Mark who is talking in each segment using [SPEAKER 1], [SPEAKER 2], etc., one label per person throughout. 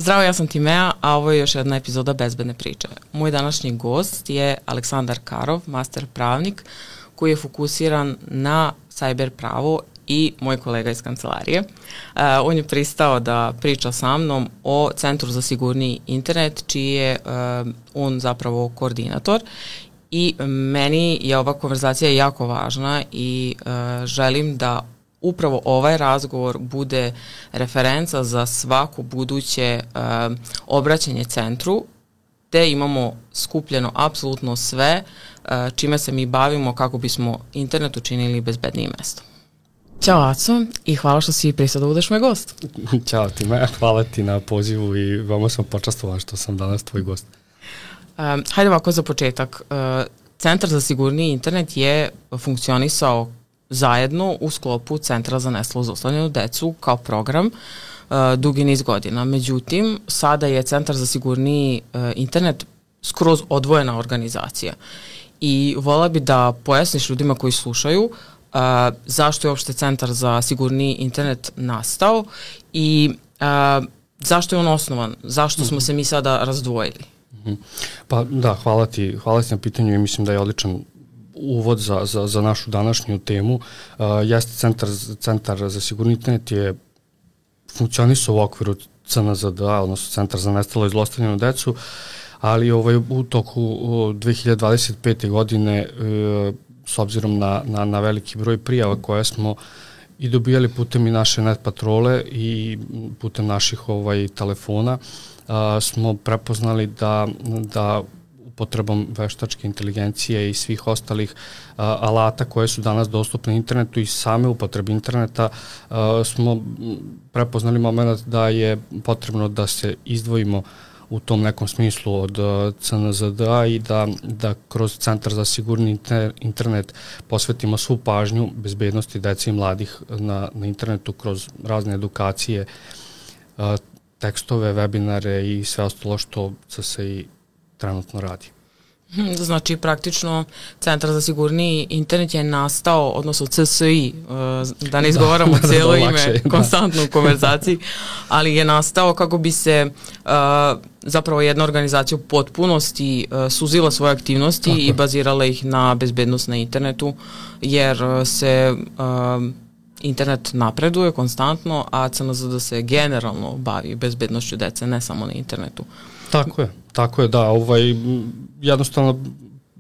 [SPEAKER 1] Zdravo, ja sam Timea, a ovo je još jedna epizoda Bezbedne priče. Moj današnji gost je Aleksandar Karov, master pravnik, koji je fokusiran na cyber pravo i moj kolega iz kancelarije. On je pristao da priča sa mnom o Centru za sigurniji internet, čiji je on zapravo koordinator. I meni je ova konverzacija jako važna i želim da upravo ovaj razgovor bude referenca za svako buduće obraćanje centru, te imamo skupljeno apsolutno sve čime se mi bavimo kako bismo internet učinili bezbednijim mestom. Ćao Aco i hvala što si pristao da budeš moj gost.
[SPEAKER 2] Ćao Time, hvala ti na pozivu i veoma sam počastovan što sam danas tvoj gost.
[SPEAKER 1] Hajde ovako za početak. Centar za sigurniji internet je funkcionisao zajedno u sklopu Centra za nestalo zlostavljanu decu kao program dugi niz godina. Međutim, sada je Centar za sigurniji internet skroz odvojena organizacija. I vola bi da pojasniš ljudima koji slušaju zašto je uopšte Centar za sigurniji internet nastao i zašto je on osnovan, zašto smo se mi sada razdvojili.
[SPEAKER 2] Pa da, hvala ti na pitanju i mislim da je odličan uvod za našu današnju temu. Jeste Centar za sigurni internet je funkcionisao u okviru CNZD-a, odnosno Centar za nestalo i zlostavljanu decu, ali u toku 2025. godine, s obzirom na veliki broj prijava koje smo i dobijali putem i naše net patrole i putem naših telefona, smo prepoznali da upotrebom veštačke inteligencije i svih ostalih alata koje su danas dostupne internetu i same upotrebe interneta smo prepoznali moment da je potrebno da se izdvojimo u tom nekom smislu od CNZD-a i da kroz Centar za sigurni internet posvetimo svu pažnju bezbednosti dece i mladih na internetu kroz razne edukacije, tekstove, webinare i sve ostalo što se i trenutno radi.
[SPEAKER 1] Znači, praktično Centar za sigurniji internet je nastao, odnosno CSI, da ne izgovaramo cijelo ime konstantno u konverzaciji, ali je nastao kako bi se zapravo jedna organizacija u potpunosti suzila svoje aktivnosti i bazirala ih na bezbednost na internetu, jer se internet napreduje konstantno, a CNZD se generalno bavi bezbednošću dece, ne samo na internetu.
[SPEAKER 2] Tako je, da, jednostavno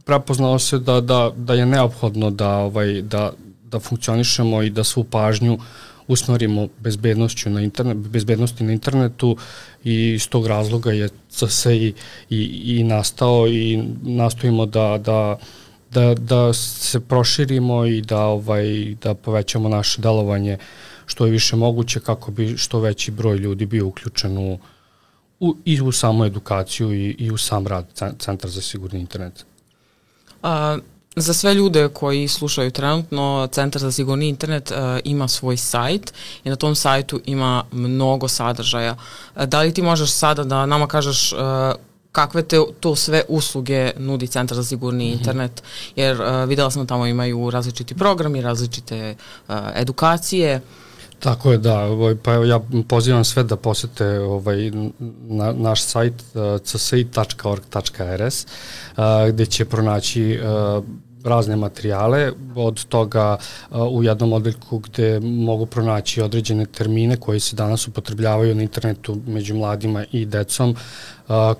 [SPEAKER 2] prepoznalo se da je neophodno da funkcionišemo i da svu pažnju usmerimo bezbednosti na internetu i iz tog razloga je se i nastao i nastojimo da se proširimo i da povećamo naše delovanje što je više moguće kako bi što veći broj ljudi bio uključen i u samu edukaciju i u sam rad Centra za sigurni internet.
[SPEAKER 1] Za sve ljude koji slušaju trenutno, Centar za sigurni internet ima svoj sajt i na tom sajtu ima mnogo sadržaja. Da li ti možeš sada da nama kažeš kakve to sve usluge nudi Centar za sigurni internet, jer videla sam da tamo imaju različiti programi, različite edukacije.
[SPEAKER 2] Tako je, da, pa ja pozivam sve da posete naš sajt csi.org.rs gde će pronaći razne materijale, od toga u jednom odeljku gde mogu pronaći određene termine koji se danas upotrebljavaju na internetu među mladima i decom,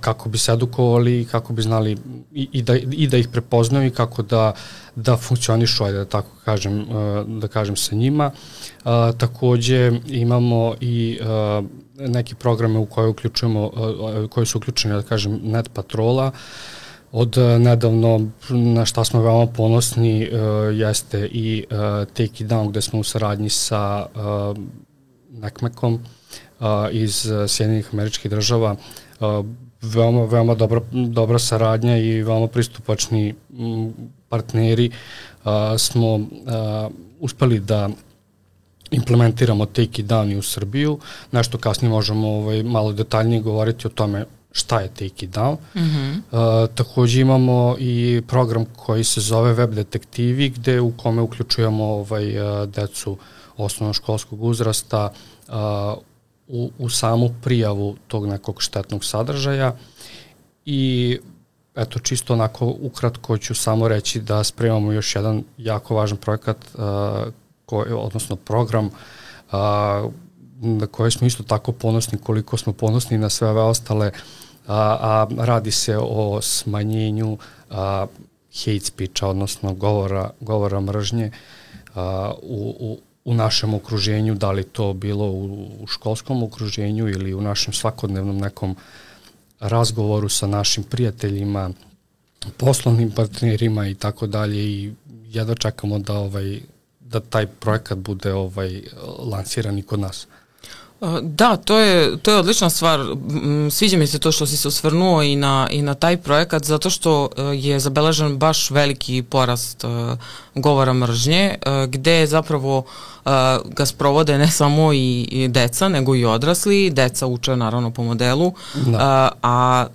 [SPEAKER 2] kako bi se edukovali, kako bi znali i da ih prepoznaju i kako da funkcionišu, da tako kažem sa njima. Takođe imamo i neke programe u koje uključujemo, koji su uključeni, da kažem, net patrola. Od nedavno, na šta smo veoma ponosni, jeste i Take It Down, gde smo u saradnji sa NECMEC-om iz Sjedinjenih Američkih Država. Veoma dobra saradnja i veoma pristupačni partneri smo uspeli da implementiramo Take It Down i u Srbiju. Nešto kasnije možemo malo detaljnije govoriti o tome šta je Take It Down. Takođe imamo i program koji se zove Web detektivi, gde u kome uključujemo decu osnovnoškolskog uzrasta u samu prijavu tog nekog štetnog sadržaja i eto, čisto onako ukratko ću samo reći da spremamo još jedan jako važan projekat, odnosno program na koje smo isto tako ponosni koliko smo ponosni na sve ove ostale, a radi se o smanjenju hate speecha, odnosno govora mržnje u našem okruženju, da li to bilo u školskom okruženju ili u našem svakodnevnom nekom razgovoru sa našim prijateljima, poslovnim partnerima i tako dalje, i jedva čekamo da taj projekat bude lansiran i kod nas.
[SPEAKER 1] Da, to je odlična stvar. Sviđa mi se to što si se osvrnuo i na taj projekat, zato što je zabeležen baš veliki porast govora mržnje, gde zapravo ga sprovode ne samo i deca, nego i odrasli. Deca uče naravno po modelu, a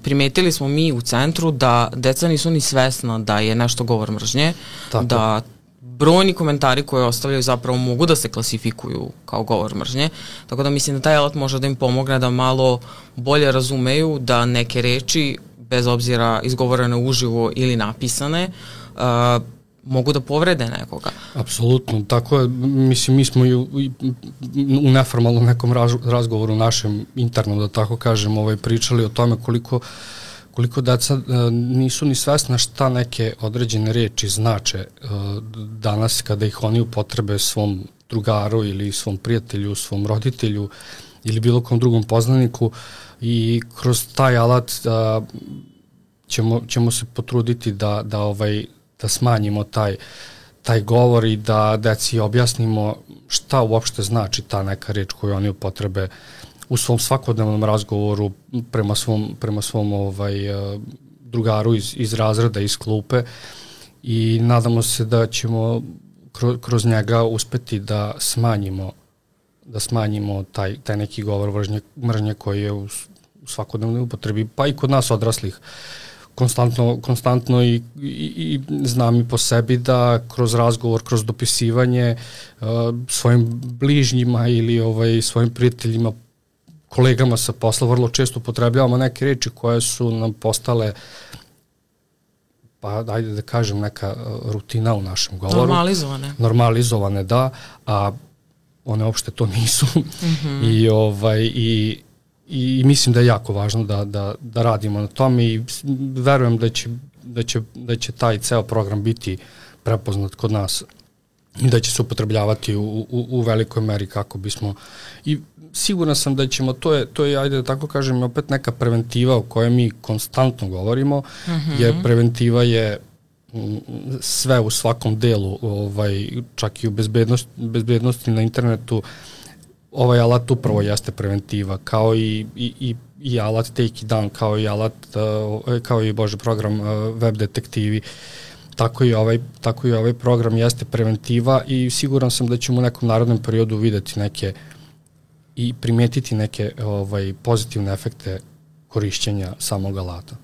[SPEAKER 1] primetili smo mi u centru da deca nisu ni svesna da je nešto govor mržnje, da brojni komentari koje ostavljaju zapravo mogu da se klasifikuju kao govor mržnje, tako da mislim da taj alat može da im pomogne da malo bolje razumeju da neke reči, bez obzira izgovorene uživo ili napisane, mogu da povrede nekoga.
[SPEAKER 2] Apsolutno, tako je, mislim, mi smo u neformalnom nekom razgovoru našem internom, da tako kažem, pričali o tome koliko deca nisu ni svesna šta neke određene reči znače danas kada ih oni upotrebe svom drugaru ili svom prijatelju, svom roditelju ili bilo kom drugom poznaniku, i kroz taj alat ćemo se potruditi da smanjimo taj govor i da deci objasnimo šta uopšte znači ta neka reč koju oni upotrebe u svom svakodnevnom razgovoru prema svom drugaru iz razreda, iz klupe, i nadamo se da ćemo kroz njega uspeti da smanjimo taj neki govor mržnje koji je u svakodnevnoj upotrebi, pa i kod nas odraslih konstantno i znam i po sebi da kroz razgovor, kroz dopisivanje svojim bližnjima ili svojim prijateljima, kolegama sa posla, vrlo često upotrebljavamo neke reči koje su nam postale, pa ajde da kažem, neka rutina u našem govoru. Normalizovane, da, a one uopšte to nisu. I mislim da je jako važno da radimo na tome, i verujem da će taj ceo program biti prepoznat kod nas i da će se upotrebljavati u velikoj meri kako bismo, i siguran sam da ćemo, to je, ajde da tako kažem, opet neka preventiva o kojoj mi konstantno govorimo, jer preventiva je sve u svakom delu, čak i u bezbednosti na internetu. Ovaj alat upravo jeste preventiva, kao i alat Take It Down, kao i program Web detektivi. Tako i ovaj program jeste preventiva, i siguran sam da ćemo u nekom narednom periodu videti neke i primetiti neke pozitivne efekte korišćenja samog alata.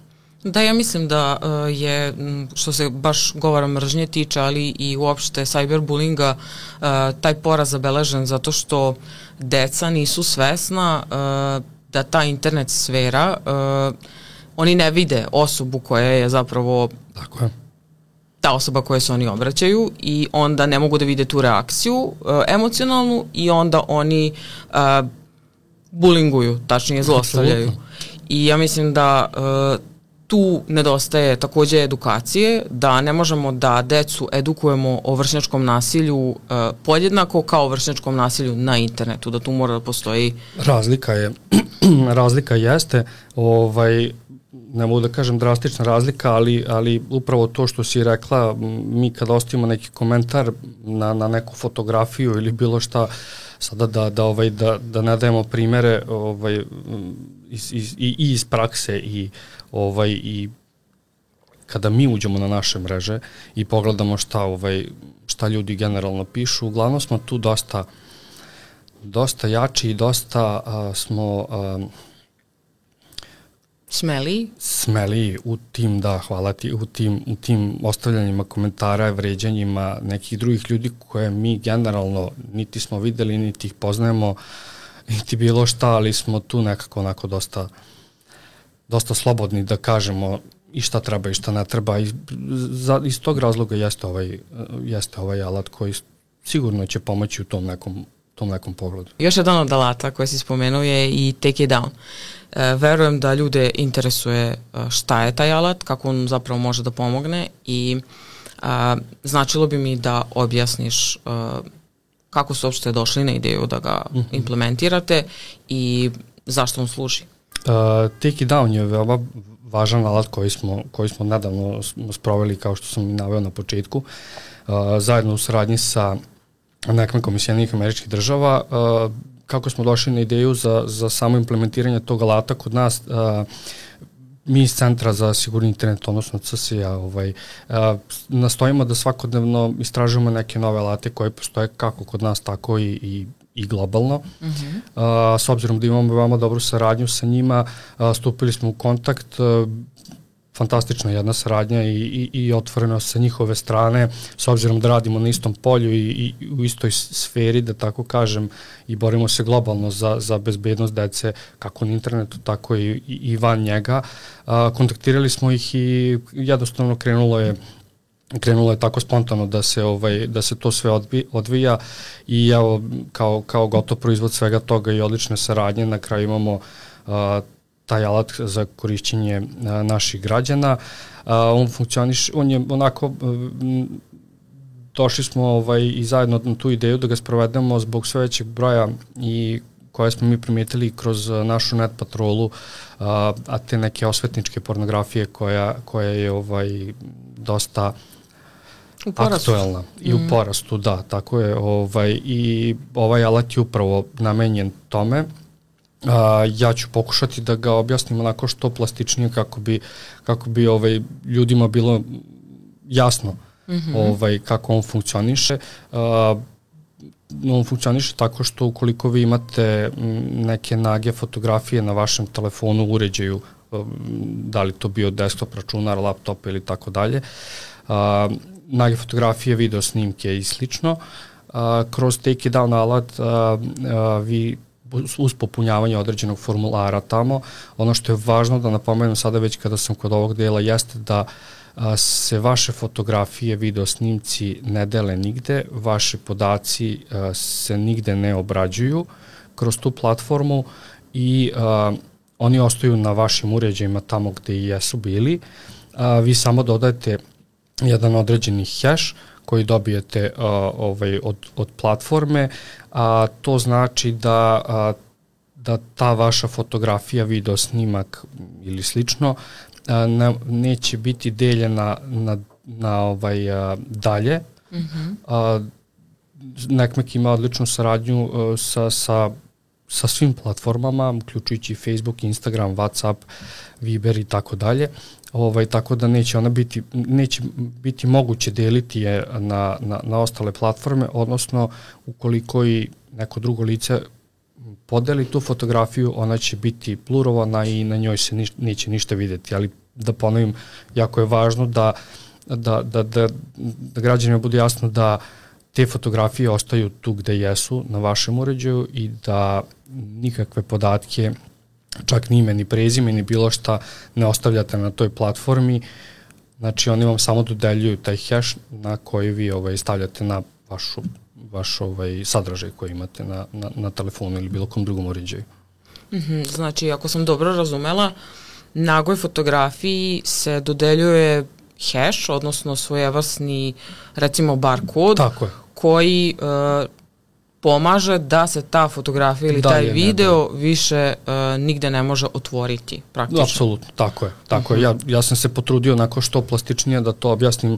[SPEAKER 1] Da, ja mislim da je, što se baš govora mržnje tiče, ali i uopšte cyberbullinga, taj poraz zabeležen zato što deca nisu svesna da ta internet sfera, oni ne vide osobu koja je zapravo ta osoba koje se oni obraćaju, i onda ne mogu da vide tu reakciju emocionalnu, i onda oni bulinguju, tačnije zlostavljaju. I ja mislim da tu nedostaje takođe edukacije, da ne možemo da decu edukujemo o vršnjačkom nasilju podjednako kao o vršnjačkom nasilju na internetu, da tu mora da postoji...
[SPEAKER 2] Razlika jeste, ne mogu da kažem drastična razlika, ali upravo to što si rekla, mi kada ostavimo neki komentar na neku fotografiju ili bilo šta, sada da ne dajemo primere iz prakse i kada mi uđemo na naše mreže i pogledamo šta ljudi generalno pišu, uglavnom smo tu dosta jači i dosta smo smeliji u tim, da, hvala ti, u tim ostavljanjima komentara, vređanjima nekih drugih ljudi koje mi generalno niti smo videli, niti ih poznajemo, niti bilo šta, ali smo tu nekako onako dosta slobodni da kažemo i šta treba i šta ne treba. Iz tog razloga jeste ovaj alat koji sigurno će pomoći u tom nekom pogledu.
[SPEAKER 1] Još jedan od alata koji si spomenuo je i Take It Down. Verujem da ljude interesuje šta je taj alat, kako on zapravo može da pomogne i značilo bi mi da objasniš kako su uopšte došli na ideju da ga implementirate i zašto on služi.
[SPEAKER 2] Take It Down je veoma važan alat koji smo nedavno sproveli, kao što sam i naveo na početku, zajedno u saradnji sa NECMEC-om iz Sjedinjenih Američkih Država. Kako smo došli na ideju za samo implementiranje tog alata kod nas, mi iz Centra za sigurni internet, odnosno CSIA, nastojimo da svakodnevno istražujemo neke nove alate koje postoje kako kod nas, tako i globalno. S obzirom da imamo veoma dobru saradnju sa njima, stupili smo u kontakt, fantastična jedna saradnja i otvoreno sa njihove strane, s obzirom da radimo na istom polju i u istoj sferi, da tako kažem, i borimo se globalno za bezbednost dece, kako na internetu, tako i van njega. Kontaktirali smo ih i jednostavno krenulo je tako spontano da se to sve odvija i evo kao gotov proizvod svega toga i odlične saradnje, na kraju imamo taj alat za korišćenje naših građana. On je onako, došli smo i zajedno na tu ideju da ga sprovedemo zbog sve većeg broja i koje smo mi primijetili kroz našu net patrolu, a te neke osvetničke pornografije koja je dosta aktuelna i u porastu, da, tako je, i ovaj alat je upravo namenjen tome. Ja ću pokušati da ga objasnim onako što plastičnije kako bi ljudima bilo jasno kako on funkcioniše. On funkcioniše tako što ukoliko vi imate neke nage fotografije na vašem telefonu, uređaju, da li to bio desktop, računar, laptop ili tako dalje, nage fotografije, video snimke i slično, kroz Take It Down alat vi uz popunjavanje određenog formulara tamo, ono što je važno da napomenem sada već kada sam kod ovog dela jeste da se vaše fotografije, video snimci ne dele nigde, vaši podaci se nigde ne obrađuju kroz tu platformu i oni ostaju na vašim uređajima tamo gde i jesu bili. Vi samo dodajete jedan određeni hash koji dobijete od platforme, a to znači da ta vaša fotografija, video snimak ili slično neće biti deljena na dalje. NECMEC ima odličnu saradnju sa svim platformama, uključujući Facebook, Instagram, WhatsApp, Viber i tako dalje. Tako da neće biti moguće deliti je na ostale platforme, odnosno ukoliko i neko drugo lice podeli tu fotografiju, ona će biti blurovana i na njoj se neće ništa videti, ali da ponovim, jako je važno da građanima bude jasno da te fotografije ostaju tu gde jesu, na vašem uređaju, i da nikakve podatke, čak ni ime, ni prezime, ni bilo šta ne ostavljate na toj platformi. Znači oni vam samo dodeljuju taj hash na koji vi stavljate na vaš sadržaj koji imate na telefonu ili bilo kom drugom uređaju.
[SPEAKER 1] Znači, ako sam dobro razumela, nagoj fotografiji se dodeljuje hash, odnosno svojevrsni, recimo, barkod, koji pomaže da se ta fotografija ili taj video više nigde ne može otvoriti, praktično.
[SPEAKER 2] Apsolutno, tako je. Ja sam se potrudio onako što plastičnije da to objasnim,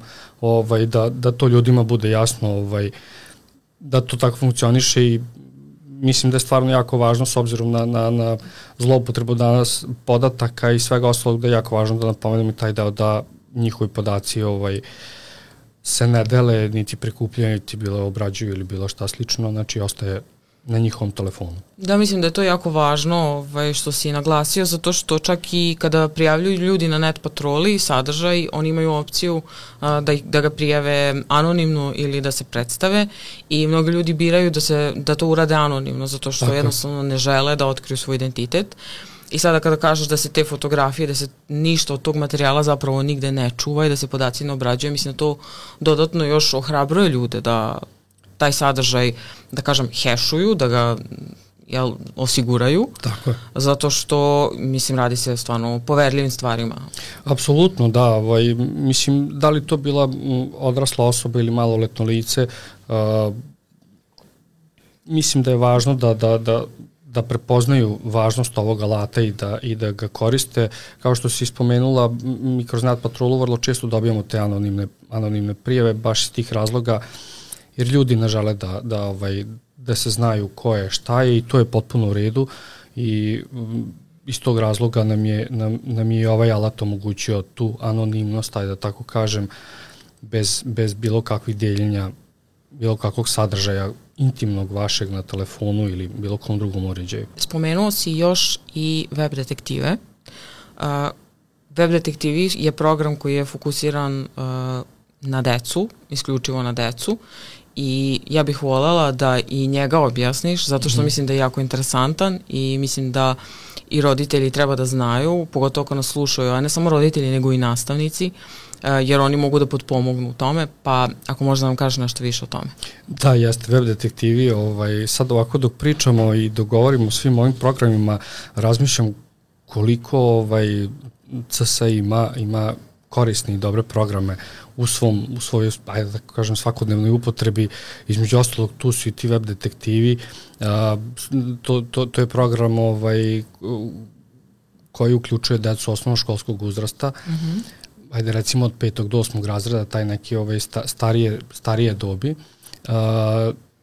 [SPEAKER 2] da to ljudima bude jasno, da to tako funkcioniše, i mislim da je stvarno jako važno, s obzirom na zloupotrebu danas podataka i svega ostalog, da je jako važno da napomenem i taj deo da njihovi podaci se ne dele, niti prikupljaju, niti bilo obrađuju ili bilo šta slično, znači ostaje na njihovom telefonu.
[SPEAKER 1] Da, mislim da je to jako važno što si naglasio, zato što čak i kada prijavljuju ljudi na net patroli sadržaj, oni imaju opciju da ga prijave anonimno ili da se predstave i mnogi ljudi biraju da to urade anonimno, zato što jednostavno ne žele da otkriju svoj identitet. I sada kada kažeš da se te fotografije, da se ništa od tog materijala zapravo nigde ne čuva i da se podaci ne obrađuje, mislim da to dodatno još ohrabruje ljude da taj sadržaj, da kažem, hešuju, da ga osiguraju.
[SPEAKER 2] Tako je.
[SPEAKER 1] Zato što, mislim, radi se stvarno o poverljivim stvarima.
[SPEAKER 2] Apsolutno, da. Mislim, da li to bila odrasla osoba ili maloletno lice, mislim da je važno da prepoznaju važnost ovog alata i da ga koriste. Kao što si spomenula, mi kroz net patrolu vrlo često dobijamo te anonimne prijave, baš iz tih razloga, jer ljudi ne žele da se znaju ko je, šta je, i to je potpuno u redu, i iz tog razloga nam je ovaj alat omogućio tu anonimnost, da tako kažem, bez bilo kakvih deljenja, bilo kakvog sadržaja intimnog vašeg na telefonu ili bilo kom drugom uređaju.
[SPEAKER 1] Spomenuo si još i web detektive. Web detektivi je program koji je fokusiran na decu, isključivo na decu, i ja bih voljela da i njega objasniš, zato što mislim da je jako interesantan i mislim da i roditelji treba da znaju, pogotovo ako nas slušaju, a ne samo roditelji nego i nastavnici, jer oni mogu da potpomognu u tome, pa ako možda nam kažeš nešto više o tome.
[SPEAKER 2] Da, jeste, web detektivi, sad ovako dok pričamo i dok govorimo o svim ovim programima, razmišljam koliko CS ima korisne i dobre programe u svojoj, ajde da kažem, svakodnevnoj upotrebi. Između ostalog, tu su i ti web detektivi. To je program koji uključuje decu osnovnoškolskog uzrasta. Ajde, recimo od 5. do 8. razreda, taj neki starije dobi.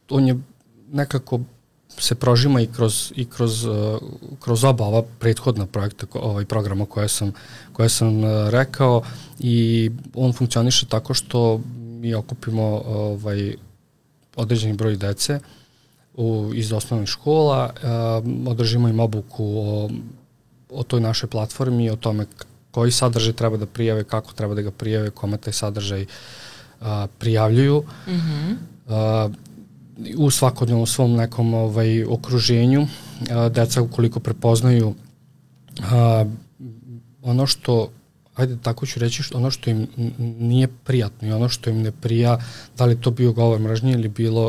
[SPEAKER 2] On je nekako se prožima i kroz oba ova prethodna projekta, programa koje sam rekao, i on funkcioniše tako što mi okupimo određeni broj dece iz osnovnih škola, održimo im obuku o toj našoj platformi, o tome koji sadržaj treba da prijave, kako treba da ga prijave, kome taj sadržaj prijavljuju. U svakodnevnom svom nekom okruženju. Deca ukoliko prepoznaju ono što, ajde tako ću reći, ono što im nije prijatno i ono što im ne prija, da li to bio govor mržnje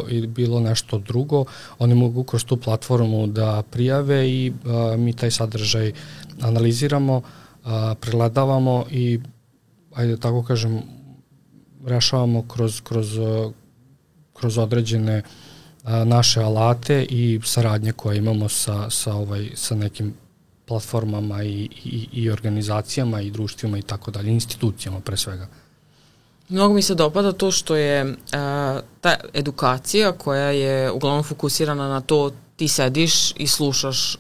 [SPEAKER 2] ili bilo nešto drugo, oni mogu kroz tu platformu da prijave i mi taj sadržaj analiziramo, pregledavamo i, ajde tako kažem, rešavamo kroz određene naše alate i saradnje koje imamo sa nekim platformama i organizacijama i društvima i tako dalje, institucijama pre svega.
[SPEAKER 1] Mnogo mi se dopada to što je ta edukacija koja je uglavnom fokusirana na to, ti sediš i slušaš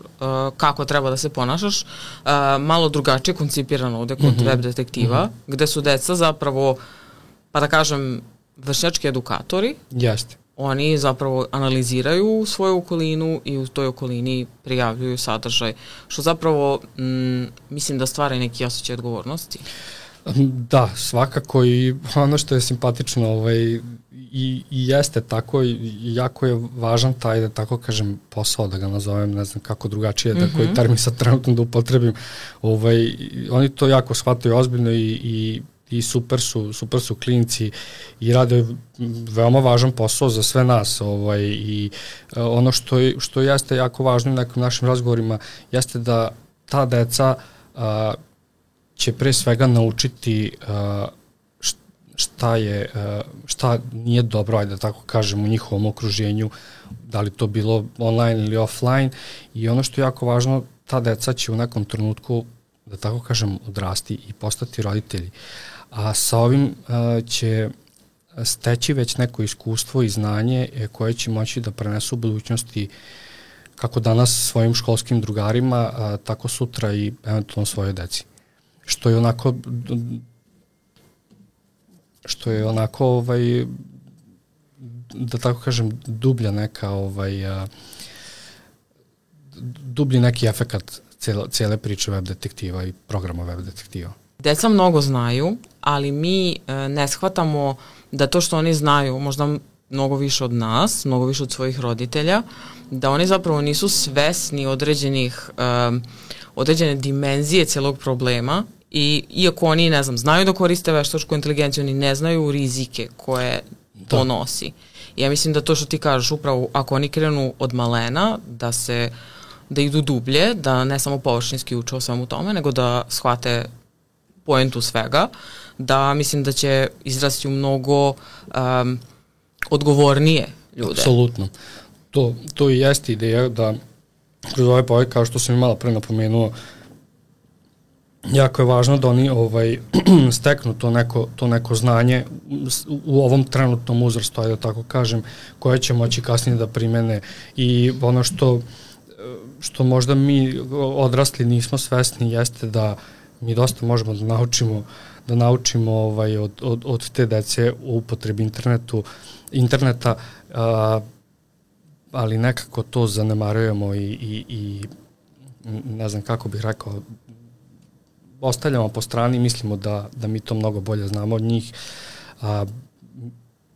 [SPEAKER 1] kako treba da se ponašaš, malo drugačije koncipirano ovde kod web detektiva, gde su deca zapravo, pa da kažem, vršnjački edukatori.
[SPEAKER 2] Jeste.
[SPEAKER 1] Oni zapravo analiziraju svoju okolinu i u toj okolini prijavljuju sadržaj, što zapravo mislim da stvara neki osjećaj odgovornosti.
[SPEAKER 2] Da, svakako, i ono što je simpatično i jeste tako, jako je važan taj, da tako kažem, posao, da ga nazovem, ne znam kako drugačije, da koji termin sad trenutno da upotrebim, oni to jako shvataju ozbiljno i super su klinci i rade veoma važan posao za sve nas, i ono što jeste jako važno u nekim našim razgovorima jeste da ta deca će pre svega naučiti šta nije dobro, ajde da tako kažem, u njihovom okruženju, da li to bilo online ili offline, i ono što je jako važno, ta deca će u nekom trenutku, da tako kažem, odrasti i postati roditelji. A sa ovim će steći već neko iskustvo i znanje koje će moći da prenesu u budućnosti, kako danas svojim školskim drugarima, tako sutra i eventualno svojoj deci. Što je onako da tako kažem, dublja neka dublji neki efekat cijele priče web detektiva i programa web detektiva.
[SPEAKER 1] Deca mnogo znaju, ali mi ne shvatamo da to što oni znaju, možda mnogo više od nas, mnogo više od svojih roditelja, da oni zapravo nisu svesni određene dimenzije celog problema i iako oni, ne znam, znaju da koriste veštačku inteligenciju, oni ne znaju rizike koje to nosi. Ja mislim da to što ti kažeš, upravo ako oni krenu od malena, da idu dublje, da ne samo površinski uče o svemu tome, nego da shvate poentu svega, da mislim da će izrasti u mnogo odgovornije ljude.
[SPEAKER 2] Apsolutno. To i jeste ideja da kroz ovaj projekt, kao što sam i malo pre napomenuo, jako je važno da oni steknu to neko znanje u ovom trenutnom uzrastu, da tako kažem, koje će moći kasnije da primene i ono što možda mi odrasli nismo svesni jeste da mi dosta možemo da naučimo od te dece u upotrebi interneta, ali nekako to zanemarujemo i ne znam kako bih rekao, ostavljamo po strani i mislimo da mi to mnogo bolje znamo od njih.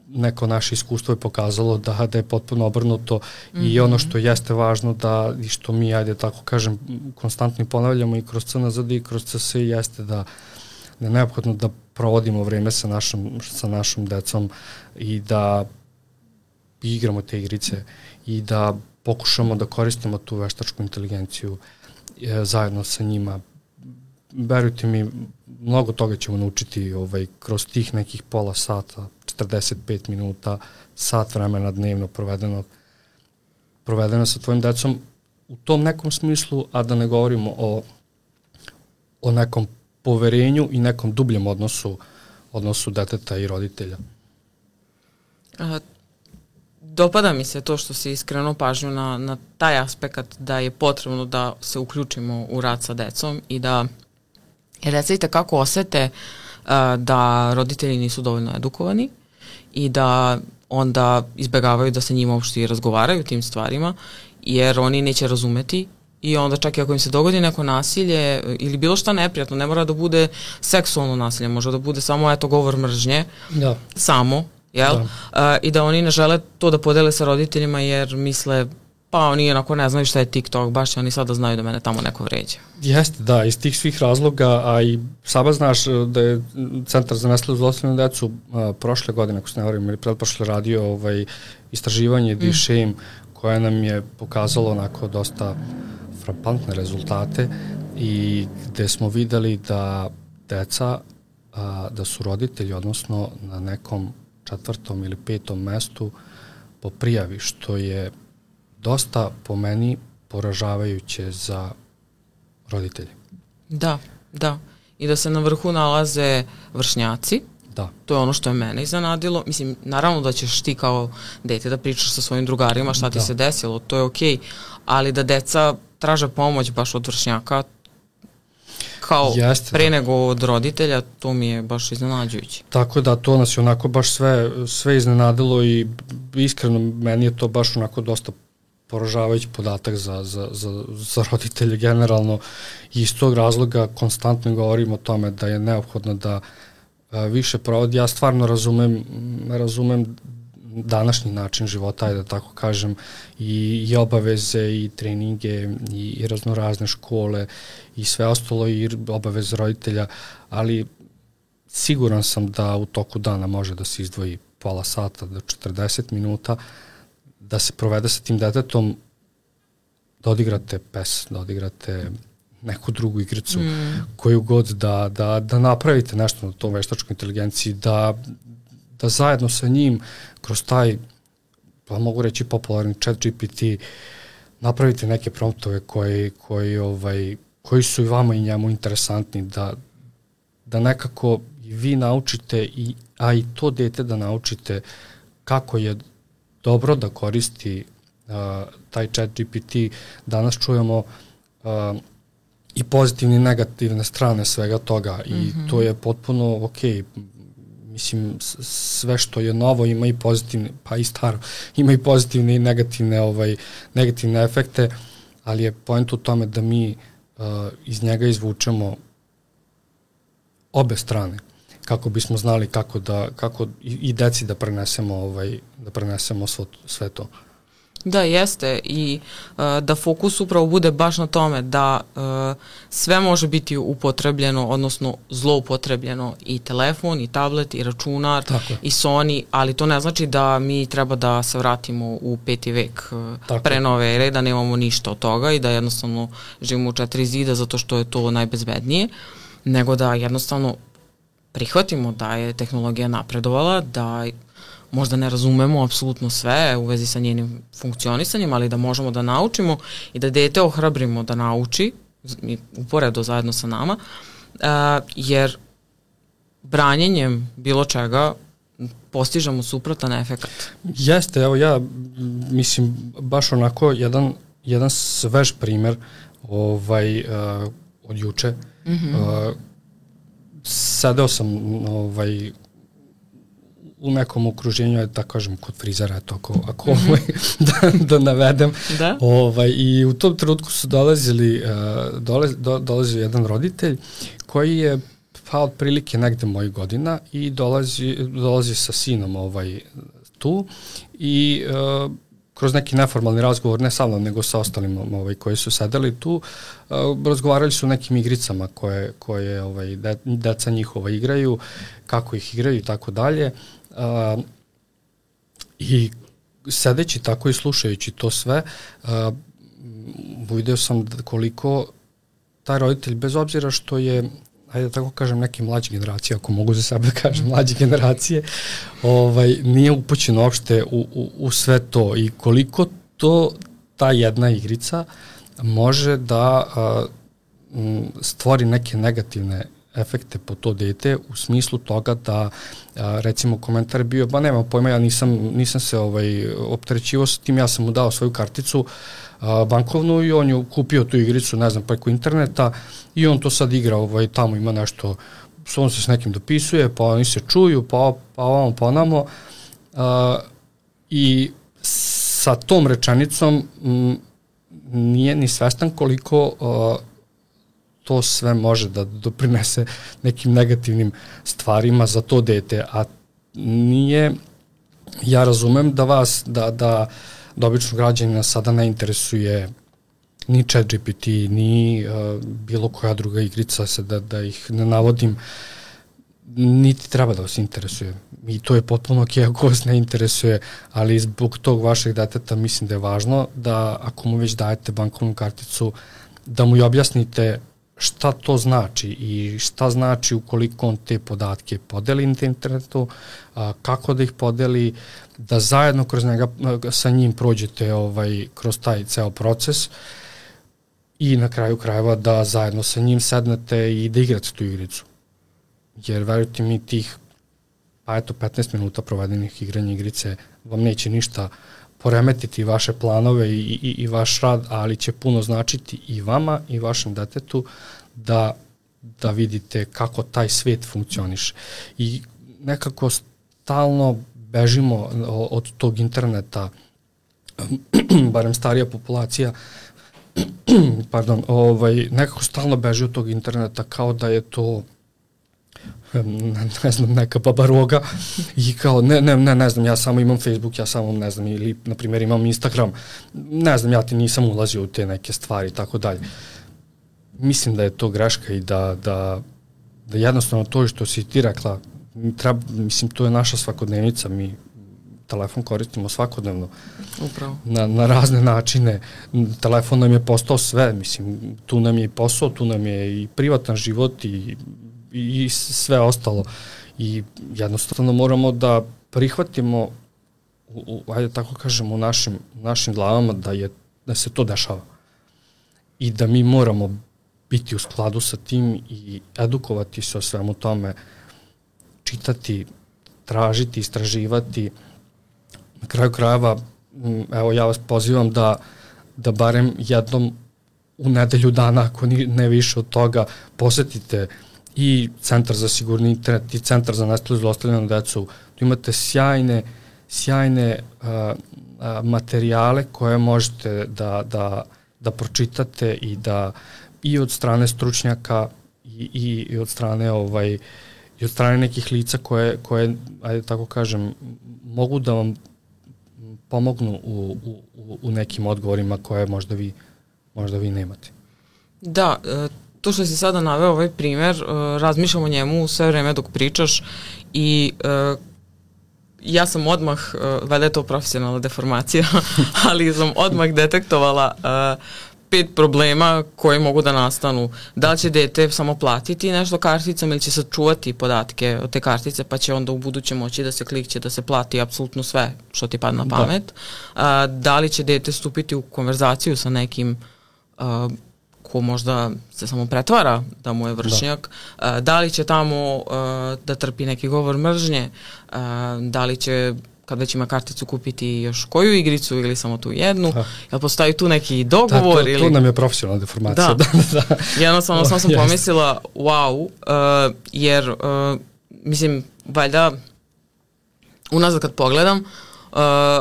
[SPEAKER 2] Neko naše iskustvo je pokazalo da je potpuno obrnuto i ono što jeste važno i što mi, tako kažem, konstantno ponavljamo i kroz CNZD i kroz CS jeste da je neophodno da provodimo vreme sa našom decom i da igramo te igrice i da pokušamo da koristimo tu veštačku inteligenciju zajedno sa njima. Verujte mi, mnogo toga ćemo naučiti kroz tih nekih pola sata, 45 minuta, sat vremena dnevno provedeno sa tvojim decom u tom nekom smislu, a da ne govorimo o nekom poverenju i nekom dubljem odnosu deteta i roditelja.
[SPEAKER 1] Dopada mi se to što si iskreno pažnju na taj aspekt da je potrebno da se uključimo u rad sa decom i da deca i takako osete da roditelji nisu dovoljno edukovani i da onda izbegavaju da se njima uopšte i razgovaraju o tim stvarima, jer oni neće razumeti i onda čak i ako im se dogodi neko nasilje ili bilo šta neprijatno, ne mora da bude seksualno nasilje, može da bude samo govor mržnje, samo, jel? I da oni ne žele to da podele sa roditeljima jer misle pa oni onako ne znaju šta je TikTok, baš oni sada znaju da mene tamo neko vređa.
[SPEAKER 2] Jeste, da, iz tih svih razloga, a i sama znaš da je Centar za nestalnu zlostavljanu decu prošle godine, ako se ne varam, ili pretprošle radio istraživanje D-Shame, koje nam je pokazalo onako dosta frapantne rezultate i gde smo videli da deca, da su roditelji, odnosno na nekom 4. ili 5. mestu po prijavi, što je dosta po meni poražavajuće za roditelje.
[SPEAKER 1] Da. I da se na vrhu nalaze vršnjaci.
[SPEAKER 2] Da.
[SPEAKER 1] To je ono što je mene iznenadilo. Mislim, naravno da ćeš ti kao dete da pričaš sa svojim drugarima šta ti se desilo, to je okej, ali da deca traže pomoć baš od vršnjaka kao pre nego od roditelja, to mi je baš iznenađujuće. Tako
[SPEAKER 2] da, to nas je onako baš sve iznenadilo i iskreno meni je to baš onako dosta poražavajući podatak za roditelje generalno i iz tog razloga konstantno govorimo o tome da je neophodno da više provodi. Ja stvarno razumem današnji način života, da tako kažem, i obaveze i treninge i raznorazne škole i sve ostalo i obaveze roditelja, ali siguran sam da u toku dana može da se izdvoji pola sata do 40 minuta da se provede sa tim detetom, da odigrate PES, da odigrate neku drugu igricu, koju god da napravite nešto na tom veštačkoj inteligenciji, da zajedno sa njim kroz taj, pa mogu reći popularni ChatGPT, napravite neke promptove koji su i vama i njemu interesantni, da nekako i vi naučite, a i to dete da naučite kako je dobro da koristi taj ChatGPT. Danas čujemo i pozitivne i negativne strane svega toga i to je potpuno okej. Mislim, sve što je novo ima i pozitivne, pa i staro, ima i pozitivne i negativne efekte, ali je point u tome da mi iz njega izvučemo obe strane, kako bismo znali kako i deci da prenesemo sve to.
[SPEAKER 1] Da, jeste, i da fokus upravo bude baš na tome da sve može biti upotrebljeno, odnosno zloupotrebljeno, i telefon, i tablet, i računar, i Sony, ali to ne znači da mi treba da se vratimo u 5. vek pre nove ere, da nemamo ništa od toga i da jednostavno živimo u 4 zida zato što je to najbezbednije, nego da jednostavno prihvatimo da je tehnologija napredovala, da možda ne razumemo apsolutno sve u vezi sa njenim funkcionisanjem, ali da možemo da naučimo i da dete ohrabrimo da nauči, uporedo zajedno sa nama, jer branjenjem bilo čega postižemo suprotan efekat.
[SPEAKER 2] Jeste, evo ja mislim baš onako jedan svež primer od juče. Sedeo sam u nekom okruženju, da kažem, kod frizera, eto, ako da navedem.
[SPEAKER 1] Da?
[SPEAKER 2] I u tom trenutku su dolazio jedan roditelj koji je otprilike negde mojih godina i dolazi sa sinom tu i kroz neki neformalni razgovor, ne sa mnom, nego sa ostalim koji su sedeli tu, razgovarali su o nekim igricama koje deca njihova igraju, kako ih igraju i tako dalje. I sedeći tako i slušajući to sve, uvideo sam koliko taj roditelj, bez obzira što je, ajde da tako kažem, neke mlađe generacije, ako mogu za sebe da kažem mlađe generacije, nije upućen uopšte u sve to i koliko to ta jedna igrica može da stvori neke negativne efekte po to dete, u smislu toga da, recimo, komentar je bio, ba nema pojma, ja nisam se opterećivao sa tim, ja sam mu dao svoju karticu bankovnu i on je kupio tu igricu, ne znam, preko interneta i on to sad igra, tamo ima nešto, on se s nekim dopisuje, pa oni se čuju, pa ovamo, pa onamo, i sa tom rečenicom nije ni svestan koliko to sve može da doprinese nekim negativnim stvarima za to dete, a nije, ja razumem da vas, da običnog građanina sada ne interesuje ni ChatGPT, ni bilo koja druga igrica, da ih ne navodim, niti treba da vas interesuje. I to je potpuno ok ako vas ne interesuje, ali zbog tog vašeg deteta mislim da je važno da ako mu već dajete bankovnu karticu, da mu i objasnite šta to znači i šta znači ukoliko on te podatke podeli na internetu, kako da ih podeli, da zajedno kroz njega, sa njim prođete kroz taj ceo proces i na kraju krajeva da zajedno sa njim sednete i da igrate tu igricu. Jer verujte mi, tih 15 minuta provedenih igranja igrice vam neće ništa poremetiti vaše planove i vaš rad, ali će puno značiti i vama i vašem detetu da vidite kako taj svet funkcioniše. I nekako stalno bežimo od tog interneta, barem starija populacija, nekako stalno beži od tog interneta kao da je to ne znam, neka babaroga i kao ne znam, ja samo imam Facebook, ja samo ne znam, ili na primjer imam Instagram, ne znam, ja ti nisam ulazio u te neke stvari i tako dalje. Mislim da je to greška i da jednostavno to što si ti rekla, mislim, to je naša svakodnevnica, mi telefon koristimo svakodnevno.
[SPEAKER 1] Upravo.
[SPEAKER 2] Na razne načine. Telefon nam je postao sve, mislim, tu nam je i posao, tu nam je i privatan život i sve ostalo. I jednostavno moramo da prihvatimo, ajde tako kažem, u našim glavama da se to dešava. I da mi moramo biti u skladu sa tim i edukovati se o svemu tome, čitati, tražiti, istraživati. Na kraju krajeva, evo, ja vas pozivam da barem jednom u nedelju dana, ako ne više od toga, posetite i Centar za sigurni internet i Centar za nestalu i zlostavljanu decu. Tu imate sjajne materijale koje možete da da pročitate i da i od strane stručnjaka i od strane i od strane nekih lica koje ajde tako kažem, mogu da vam pomognu u nekim odgovorima koje možda vi nemate.
[SPEAKER 1] Da, to što si sada naveo ovaj primer, razmišljam o njemu sve vreme dok pričaš i ja sam odmah, valjda je to profesionalna deformacija, ali sam odmah detektovala 5 problema koji mogu da nastanu. Da li će dete samo platiti nešto karticom ili će sačuvati podatke od te kartice, pa će onda u buduće moći da se klikće, da se plati apsolutno sve što ti padne na pamet. Da li će dete stupiti u konverzaciju sa nekim ko možda se samo pretvara da mu je vršnjak, da li će tamo da trpi neki govor mržnje, da li će kad već ima karticu kupiti još koju igricu ili samo tu jednu, jel postoji tu neki dogovor?
[SPEAKER 2] To nam je profesionalna deformacija.
[SPEAKER 1] Da. Jednostavno sam pomislila wow, jer mislim, valjda unazad kad pogledam,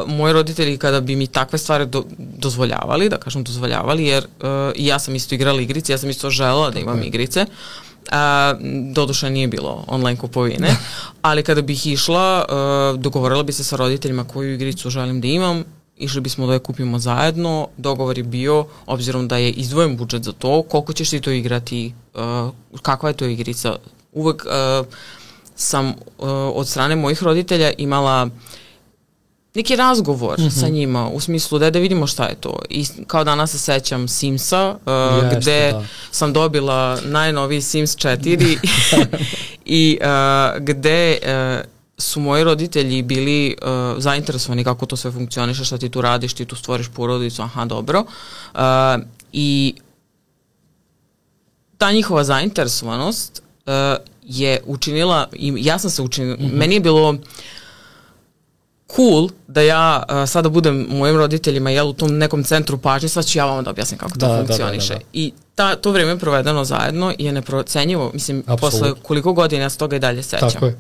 [SPEAKER 1] moji roditelji kada bi mi takve stvari dozvoljavali, da kažem dozvoljavali, jer ja sam isto igrala igrice, ja sam isto želela da imam igrice, doduše nije bilo online kupovine, ali kada bih išla, dogovorila bi se sa roditeljima koju igricu želim da imam, išli bismo da je kupimo zajedno, dogovor je bio, obzirom da je izdvojen budžet za to, koliko ćeš ti to igrati, kakva je to igrica. Uvek sam od strane mojih roditelja imala neki razgovor sa njima, u smislu da vidimo šta je to. I kao danas se sećam Simsa, gde sam dobila najnoviji Sims 4 i gde su moji roditelji bili zainteresovani kako to sve funkcioniše, šta ti tu radiš, ti tu stvoriš porodicu, aha, dobro. I ta njihova zainteresovanost je učinila, i ja sam se učinila, meni je bilo cool da ja sada budem mojim roditeljima u tom nekom centru pažnje, sad ću ja vam da objasnim kako to funkcioniše. Da. I to vreme provedeno zajedno je neprocenjivo, mislim, posle koliko godina ja se toga i dalje sećam.
[SPEAKER 2] Tako je,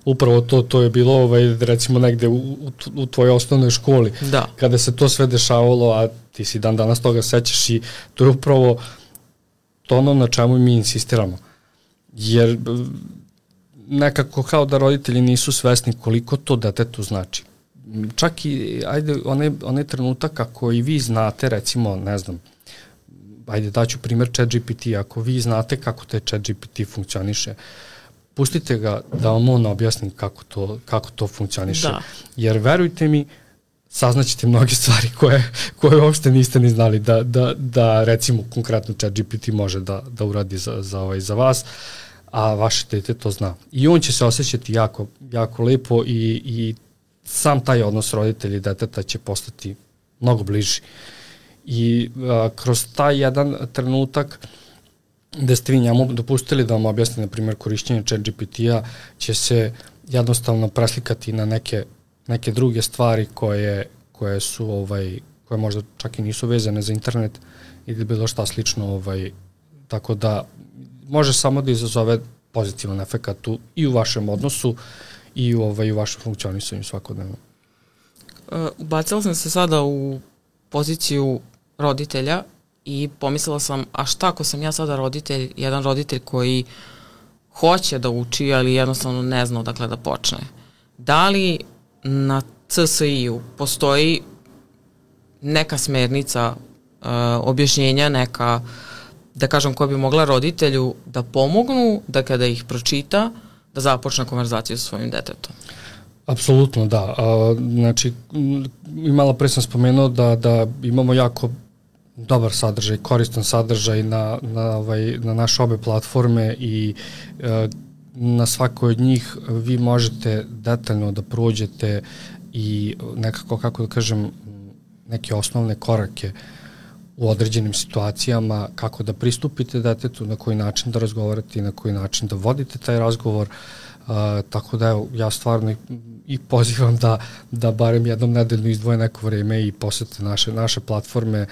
[SPEAKER 2] upravo to je bilo recimo negde u tvojoj osnovnoj školi, kada se to sve dešavalo, a ti si dan danas toga sećaš i to je upravo to ono na čemu mi insistiramo. Jer nekako kao da roditelji nisu svesni koliko to detetu znači. Čak i, onaj trenutak ako i vi znate, recimo, ne znam, daću primer ChatGPT, ako vi znate kako taj ChatGPT funkcioniše, pustite ga da vam on objasni kako to funkcioniše. Da. Jer verujte mi, saznaćete mnoge stvari koje uopšte niste ni znali da recimo konkretno ChatGPT može da uradi za vas, a vaše dete to zna. I on će se osjećati jako, jako lepo i sam taj odnos roditelja i deteta će postati mnogo bliži. I kroz taj jedan trenutak gde ste vi njemu dopustili da vam objasni, na primjer, korišćenje ChatGPT-a, će se jednostavno preslikati na neke druge stvari koje su, koje možda čak i nisu vezane za internet ili bilo šta slično, tako da može samo da izazove pozitivan efekat i u vašem odnosu i u vašem funkcionisanju svakodnevno.
[SPEAKER 1] Ubacila sam se sada u poziciju roditelja i pomislila sam, a šta ako sam ja sada jedan roditelj koji hoće da uči, ali jednostavno ne zna odakle da počne. Da li na CSI-u postoji neka smernica, objašnjenja, neka, da kažem, koja bi mogla roditelju da pomognu da kada ih pročita, da započne konverzaciju sa svojim detetom?
[SPEAKER 2] Apsolutno, da. Znači, malo pre sam spomenuo da imamo jako dobar sadržaj, koristan sadržaj na naše obe platforme i na svakoj od njih vi možete detaljno da prođete i nekako, kako da kažem, neke osnovne korake u određenim situacijama, kako da pristupite detetu, na koji način da razgovarate i na koji način da vodite taj razgovor. Tako da evo, ja stvarno i pozivam da barem jednom nedeljno izdvoje neko vreme i posete naše platforme.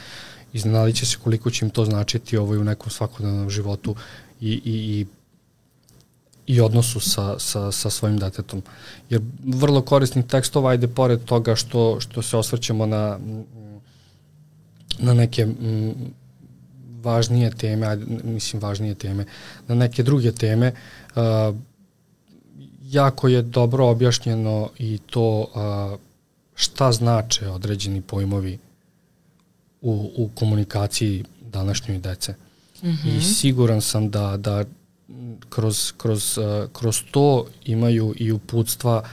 [SPEAKER 2] Iznenadit će se koliko će im to značiti u nekom svakodnevnom životu i odnosu sa svojim detetom. Jer vrlo korisnih tekstova, pored toga što se osvrćemo na neke važnije teme, na neke druge teme. Jako je dobro objašnjeno i to šta znače određeni pojmovi u komunikaciji današnjoj dece. I siguran sam da kroz to imaju i uputstva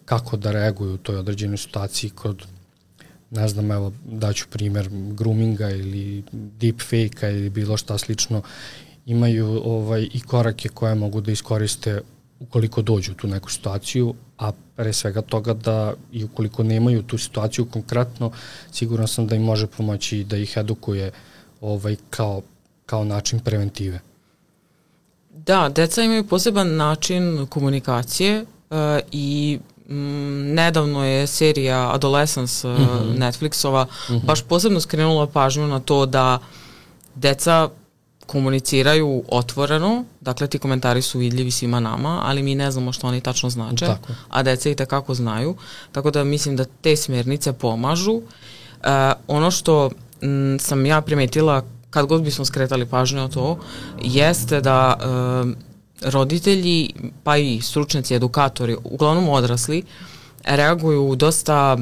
[SPEAKER 2] kako da reaguju u toj određenoj situaciji kod, ne znam, evo, daću primer groominga ili deepfake-a ili bilo šta slično, imaju i korake koje mogu da iskoriste ukoliko dođu u tu neku situaciju, a pre svega toga da i ukoliko nemaju tu situaciju konkretno, siguran sam da im može pomoći da ih edukuje kao način preventive.
[SPEAKER 1] Da, deca imaju poseban način komunikacije i nedavno je serija Adolescence Netflixova baš posebno skrenula pažnju na to da deca komuniciraju otvoreno, dakle ti komentari su vidljivi svima nama, ali mi ne znamo što oni tačno znače, a deca i takako znaju, tako da mislim da te smernice pomažu. Ono što sam ja primetila kad god bismo skretali pažnju na to, jeste da roditelji, pa i stručnjaci, edukatori, uglavnom odrasli, reaguju dosta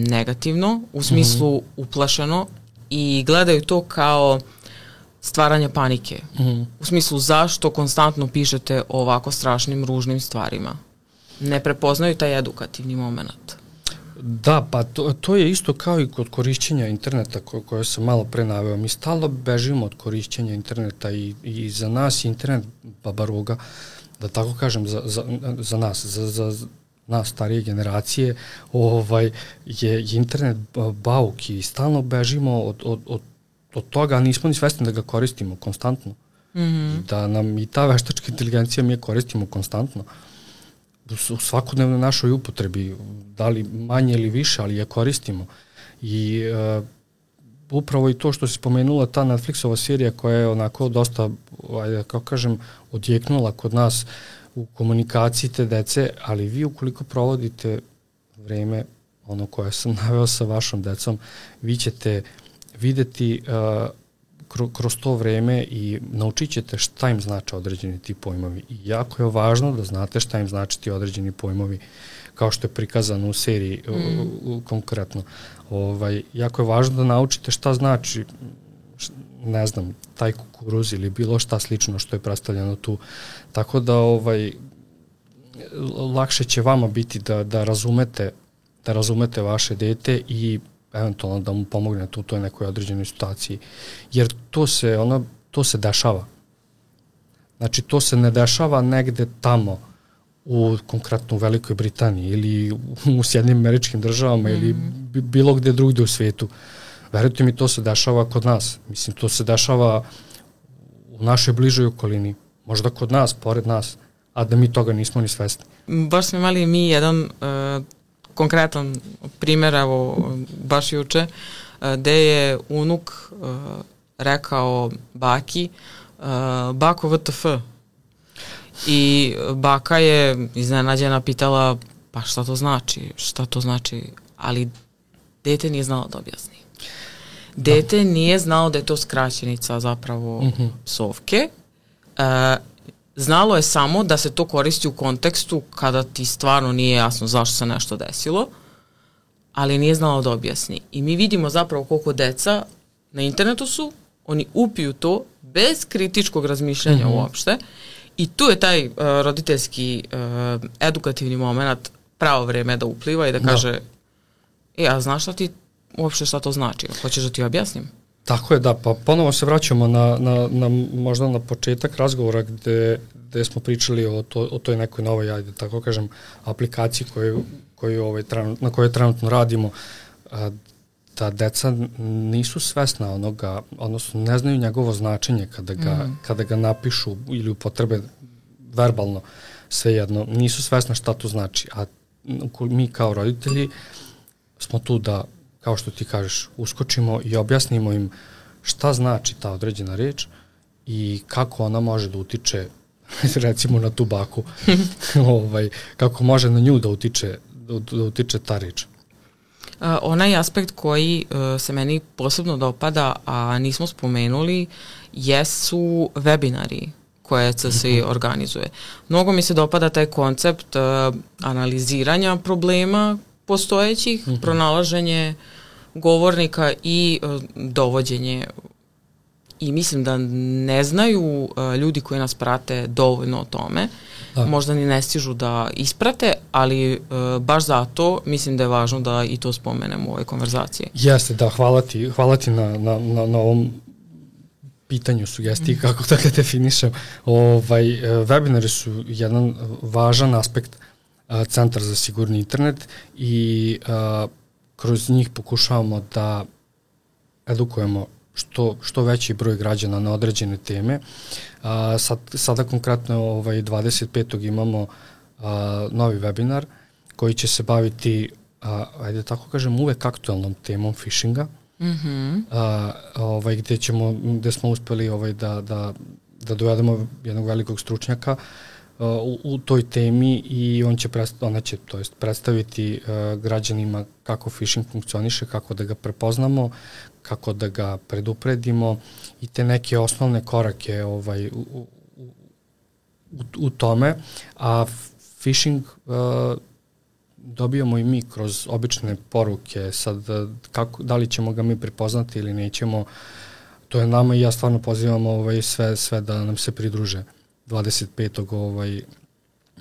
[SPEAKER 1] negativno, u smislu uplašeno i gledaju to kao stvaranje panike. U smislu zašto konstantno pišete o ovako strašnim, ružnim stvarima. Ne prepoznaju taj edukativni moment.
[SPEAKER 2] Da, pa to je isto kao i kod korišćenja interneta koje sam malo pre naveo. Mi stalno bežimo od korišćenja interneta i za nas internet babaroga, da tako kažem, za nas starije generacije, je internet bauk i stalno bežimo od toga, a nismo ni svesni da ga koristimo konstantno. Da nam i ta veštačka inteligencija mi je koristimo konstantno. U svakodnevnoj našoj upotrebi, da li manje ili više, ali je koristimo. I upravo i to što si spomenula, ta Netflixova serija koja je onako dosta, kako kažem, odjeknula kod nas u komunikaciji te dece, ali vi ukoliko provodite vreme, ono koje sam naveo sa vašom decom, vi ćete videti kroz to vreme i naučit ćete šta im znače određeni ti pojmovi. I jako je važno da znate šta im znači ti određeni pojmovi, kao što je prikazano u seriji konkretno. Jako je važno da naučite šta znači, ne znam, taj kukuruz ili bilo šta slično što je predstavljeno tu. Tako da lakše će vama biti da razumete vaše dete i eventualno da mu pomognete u toj nekoj određenoj situaciji. Jer to se dešava. Znači, to se ne dešava negde tamo konkretno u Velikoj Britaniji ili u Sjedinjenim Američkim Državama ili bilo gde drugde u svijetu. Verujte mi, to se dešava kod nas. Mislim, to se dešava u našoj bližoj okolini. Možda kod nas, pored nas, a da mi toga nismo ni svesni.
[SPEAKER 1] Baš smo imali mi jedan konkretan primjer, evo, baš juče, gde je unuk rekao baki, bako VTF. I baka je iznenađena pitala, pa šta to znači, ali dete nije znalo da objasni. Dete nije znalo da je to skraćenica zapravo psovke. Znalo je samo da se to koristi u kontekstu kada ti stvarno nije jasno zašto se nešto desilo, ali nije znalo da objasni. I mi vidimo zapravo koliko deca na internetu su, oni upiju to bez kritičkog razmišljanja uopšte i tu je taj roditeljski edukativni moment pravo vreme da upliva i da kaže a znaš šta ti uopšte šta to znači? Hoćeš da ti objasnim?
[SPEAKER 2] Tako je, da, pa ponovo se vraćamo na možda na početak razgovora gde smo pričali o toj nekoj novoj, ajde tako kažem, aplikaciji na kojoj trenutno radimo, da deca nisu svesna onoga, odnosno ne znaju njegovo značenje kada ga napišu ili upotrebe verbalno, svejedno, nisu svesna šta to znači, a mi kao roditelji smo tu da, kao što ti kažeš, uskočimo i objasnimo im šta znači ta određena reč i kako ona može da utiče, recimo na tu baku, kako može na nju da utiče ta reč.
[SPEAKER 1] Onaj aspekt koji se meni posebno dopada, a nismo spomenuli, jesu webinari koje CSI organizuje. Mnogo mi se dopada taj koncept analiziranja problema postojećih, pronalaženje govornika i dovođenje. I mislim da ne znaju ljudi koji nas prate dovoljno o tome. Da. Možda ni ne stižu da isprate, ali baš zato mislim da je važno da i to spomenemo u ovoj konverzaciji.
[SPEAKER 2] Jeste, da, hvala ti na ovom pitanju, sugestiji, kako da ga definišem. Webinari su jedan važan aspekt Centra za sigurni internet i kroz njih pokušavamo da edukujemo što veći broj građana na određene teme. Sada konkretno 25. imamo novi webinar koji će se baviti, ajde tako kažem, uvek aktualnom temom phishinga, gde smo uspeli da dovedemo jednog velikog stručnjaka u toj temi i ona će predstaviti građanima kako phishing funkcioniše, kako da ga prepoznamo, kako da ga predupredimo i te neke osnovne korake u tome, a phishing dobijamo i mi kroz obične poruke. Sad, da li ćemo ga mi prepoznati ili nećemo, to je nama i ja stvarno pozivam sve da nam se pridruže 25.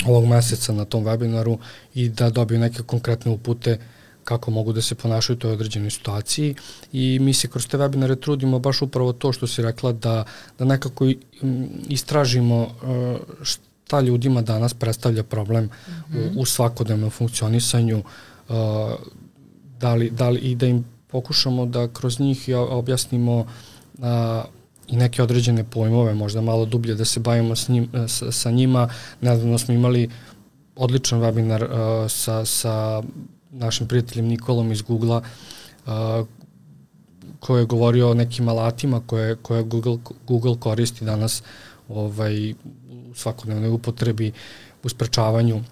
[SPEAKER 2] Ovog meseca na tom webinaru i da dobiju neke konkretne upute kako mogu da se ponašaju u toj određenoj situaciji i mi se kroz te webinare trudimo baš upravo to što si rekla da nekako istražimo šta ljudima danas predstavlja problem u svakodnevnom funkcionisanju, i da im pokušamo da kroz njih objasnimo i neke određene pojmove, možda malo dublje da se bavimo sa njima. Nedavno smo imali odličan webinar sa našim prijateljem Nikolom iz Google-a, koji je govorio o nekim alatima koje Google koristi danas u svakodnevnoj upotrebi, u sprečavanju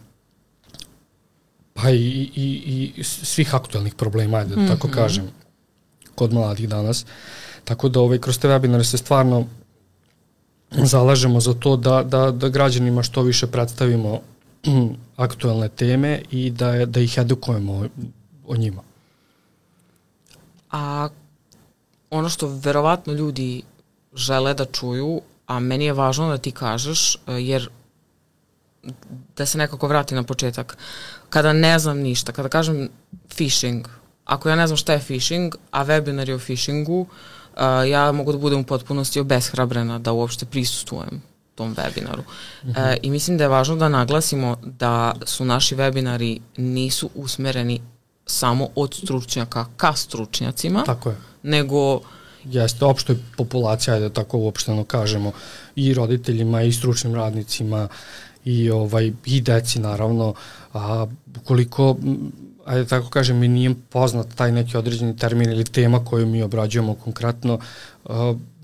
[SPEAKER 2] pa i svih aktualnih problema, da tako kažem, kod mladih danas. Tako da kroz te webinare se stvarno zalažemo za to da građanima što više predstavimo aktualne teme i da ih edukujemo o njima.
[SPEAKER 1] A ono što verovatno ljudi žele da čuju, a meni je važno da ti kažeš, jer da se nekako vrati na početak. Kada ne znam ništa, kada kažem phishing, ako ja ne znam šta je phishing, a webinar je o phishingu, ja mogu da budem u potpunosti obeshrabrena da uopšte prisustvujem tom webinaru. I mislim da je važno da naglasimo da su naši webinari nisu usmereni samo od stručnjaka ka stručnjacima,
[SPEAKER 2] tako je,
[SPEAKER 1] nego
[SPEAKER 2] jeste opštoj populacija, da tako uopšteno kažemo, i roditeljima i stručnim radnicima i deci naravno, a ukoliko, ajde tako kažem, mi nije poznat taj neki određeni termin ili tema koju mi obrađujemo konkretno,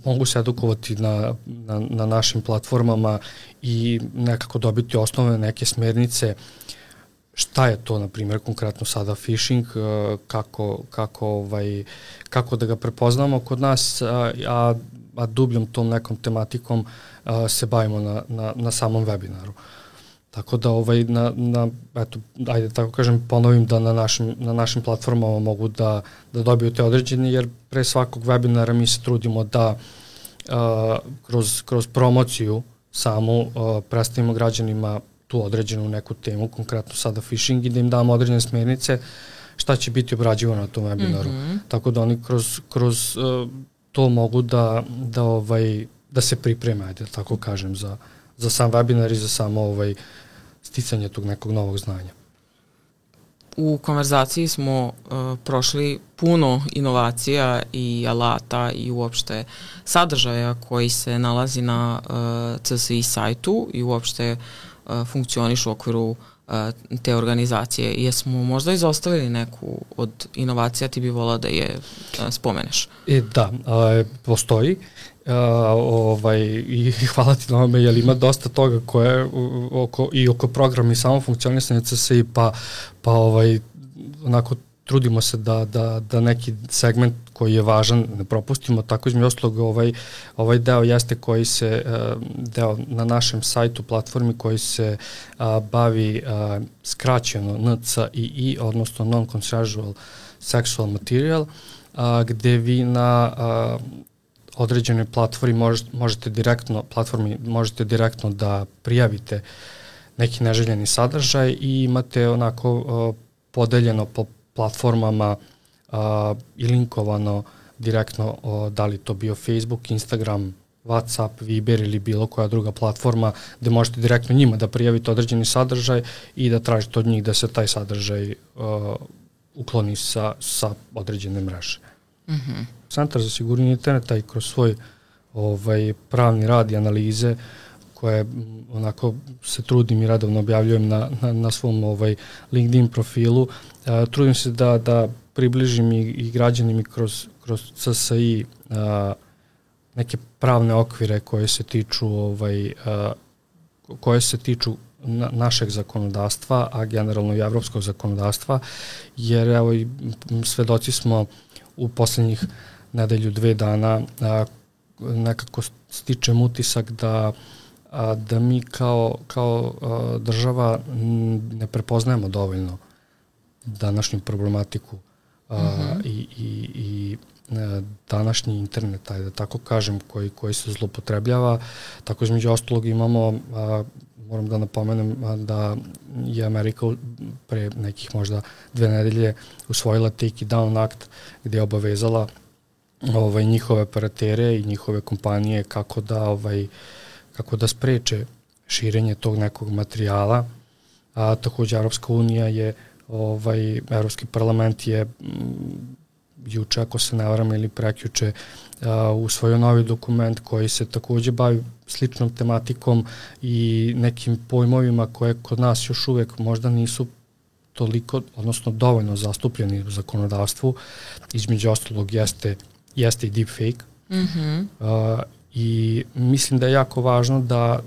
[SPEAKER 2] mogu se edukovati na našim platformama i nekako dobiti osnovne neke smernice šta je to, na primjer, konkretno sada phishing, kako da ga prepoznamo kod nas, a dubljom tom nekom tematikom se bavimo na samom webinaru. Tako da, ajde tako kažem, ponovim da na našim platformama mogu da dobiju te određene, jer pre svakog webinara mi se trudimo da kroz promociju samu predstavimo građanima tu određenu neku temu, konkretno sada phishing, i da im damo određene smernice šta će biti obrađivano na tom webinaru. Tako da oni kroz to mogu da se pripreme, ajde tako kažem, za sam webinar i za samo sticanje tog nekog novog znanja.
[SPEAKER 1] U konverzaciji smo prošli puno inovacija i alata i uopšte sadržaja koji se nalazi na CSI sajtu i uopšte funkcioniš u okviru te organizacije. Jesmo možda izostavili neku od inovacija, ti bi volao da je spomeneš?
[SPEAKER 2] Da, postoji. I hvala ti na ovome, jer ima dosta toga koje oko programa i samo funkcionisanje CSI, pa onako trudimo se da neki segment koji je važan ne propustimo, tako između ostalog ovaj deo jeste koji se, deo na našem sajtu, platformi koji se bavi skraćeno NCII, odnosno Non-Consensual Sexual Material, gde vi na određenoj platformi možete direktno da prijavite neki neželjeni sadržaj i imate onako podeljeno po platformama i linkovano direktno da li to bio Facebook, Instagram, WhatsApp, Viber ili bilo koja druga platforma gde možete direktno njima da prijavite određeni sadržaj i da tražite od njih da se taj sadržaj ukloni sa određene mreže. Centar za sigurnost interneta i kroz svoj pravni rad i analize koje onako se trudim i redovno objavljujem na svom LinkedIn profilu, trudim se da približim i građanima kroz CSI neke pravne okvire koje se tiču našeg zakonodavstva, a generalno i evropskog zakonodavstva, jer evo i svedoci smo u poslednjih nedelju, 2 dana nekako stičem utisak da mi kao država ne prepoznajemo dovoljno današnju problematiku i današnji internet, da tako kažem, koji se zloupotrebljava. Tako između ostalog imamo, moram da napomenem da je Amerika pre nekih možda 2 nedelje usvojila Take It Down akt gde je obavezala njihove operatere i njihove kompanije kako da spreče širenje tog nekog materijala. Takođe Evropska unija je, Evropski parlament je juče, ako se ne varam, ili prekjuče usvojio novi dokument koji se takođe bavi sličnom tematikom i nekim pojmovima koje kod nas još uvek možda nisu toliko, odnosno dovoljno zastupljeni u zakonodavstvu. Između ostalog jeste i deepfake. I mislim da je jako važno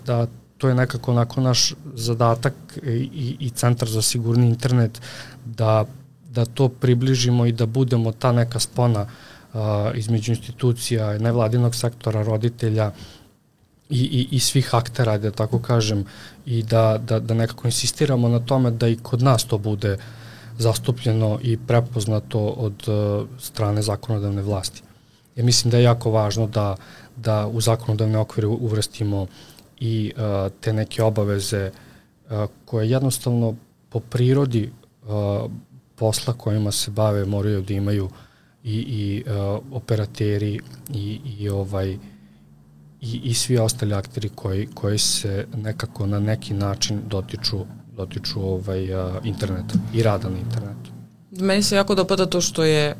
[SPEAKER 2] da to je nekako onako naš zadatak i Centar za sigurni internet da to približimo i da budemo ta neka spona između institucija, nevladinog sektora, roditelja i svih aktera, da tako kažem, i da nekako insistiramo na tome da i kod nas to bude zastupljeno i prepoznato od strane zakonodavne vlasti. Ja mislim da je jako važno da u zakonodavne okvire uvrstimo i te neke obaveze koje jednostavno po prirodi posla kojima se bave moraju da imaju i operateri i svi ostali akteri koji se nekako na neki način dotiču interneta i rada na internetu.
[SPEAKER 1] Meni se jako dopada to što je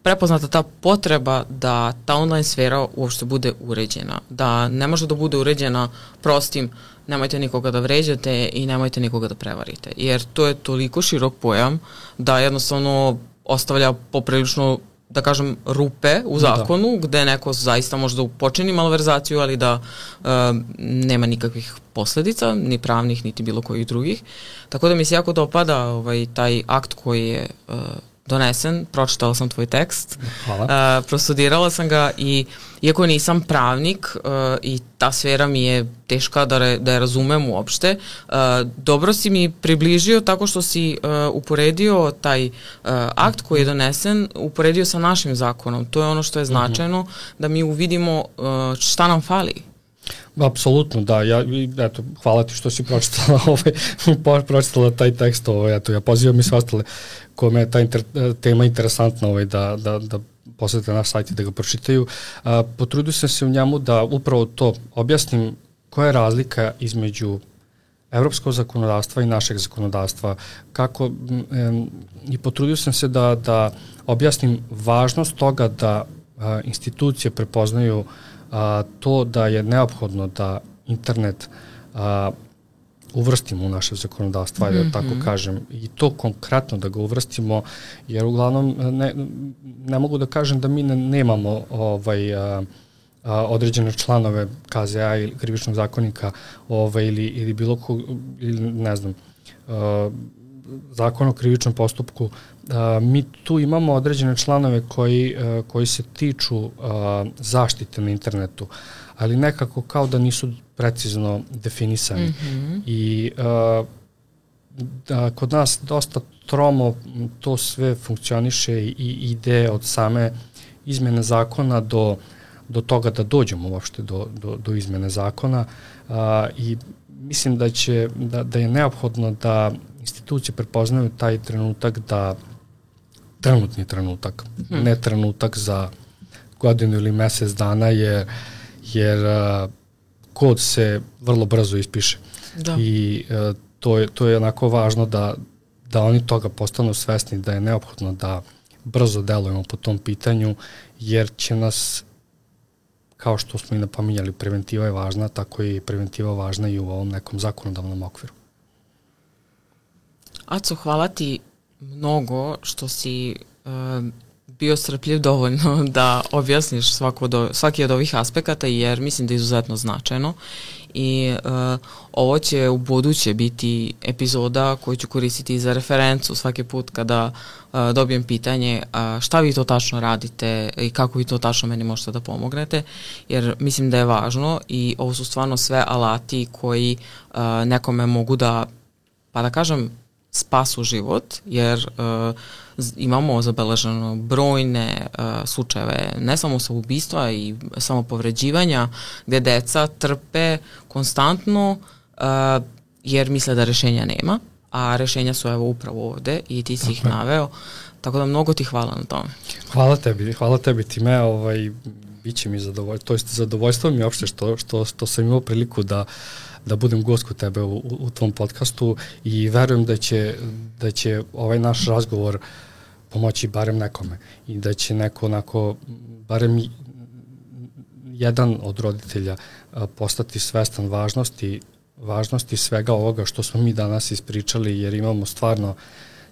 [SPEAKER 1] prepoznata ta potreba da ta online sfera uopšte bude uređena. Da ne može da bude uređena prostim nemojte nikoga da vređate i nemojte nikoga da prevarite. Jer to je toliko širok pojam da jednostavno ostavlja poprilično, da kažem, rupe u zakonu gde neko zaista može da počini malverzaciju, ali da nema nikakvih posledica, ni pravnih, niti bilo kojih drugih. Tako da mi se jako dopada taj akt koji je donesen, pročitala sam tvoj tekst, prostudirala sam ga i iako nisam pravnik i ta sfera mi je teška da je razumem uopšte, dobro si mi približio tako što si uporedio taj akt koji je donesen, uporedio sa našim zakonom. To je ono što je značajno, da mi uvidimo šta nam fali.
[SPEAKER 2] Apsolutno, da. Hvala ti što si pročitala taj tekst. Ja pozivam i sve ostale kome je ta tema interesantna da posete naš sajt i da ga pročitaju. Potrudio sam se u njemu da upravo to objasnim koja je razlika između evropskog zakonodavstva i našeg zakonodavstva. I potrudio sam se da objasnim važnost toga da institucije prepoznaju to da je neophodno da internet uvrstimo u naše zakonodavstvo, ajde da tako kažem, i to konkretno da ga uvrstimo, jer uglavnom ne mogu da kažem da mi nemamo određene članove KZ-a ili krivičnog zakonika ili bilo ne znam, Zakon o krivičnom postupku, mi tu imamo određene članove koji se tiču zaštite na internetu, ali nekako kao da nisu precizno definisani. I kod nas dosta tromo to sve funkcioniše i ide od same izmene zakona do toga da dođemo uopšte do izmene zakona i mislim da je neophodno da institucije prepoznaju taj trenutak trenutni trenutak, ne trenutak za godinu ili mesec dana, jer kod se vrlo brzo ispiše. Da. I to je onako važno da oni toga postanu svesni, da je neophodno da brzo delujemo po tom pitanju, jer će nas, kao što smo i napominjali, preventiva je važna, tako je i preventiva važna i u ovom nekom zakonodavnom okviru.
[SPEAKER 1] Aco, hvala ti mnogo što si bio strpljiv dovoljno da objasniš svaki od ovih aspekata, jer mislim da je izuzetno značajno i ovo će u buduće biti epizoda koju ću koristiti za referencu svaki put kada dobijem pitanje šta vi to tačno radite i kako vi to tačno meni možete da pomognete, jer mislim da je važno i ovo su stvarno sve alati koji nekome mogu da, pa da kažem, spasu život, jer imamo zabeleženo brojne slučajeve, ne samo samoubistva i samopovređivanja, gde deca trpe konstantno jer misle da rešenja nema, a rešenja su evo upravo ovde i ti si ih naveo, tako da mnogo ti hvala na tome.
[SPEAKER 2] Hvala tebi time, biće mi zadovoljstvo mi uopšte što sam imao priliku da budem gost kod tebe u tvom podcastu i verujem da će ovaj naš razgovor pomoći barem nekome i da će neko onako, barem jedan od roditelja postati svestan važnosti svega ovoga što smo mi danas ispričali, jer imamo stvarno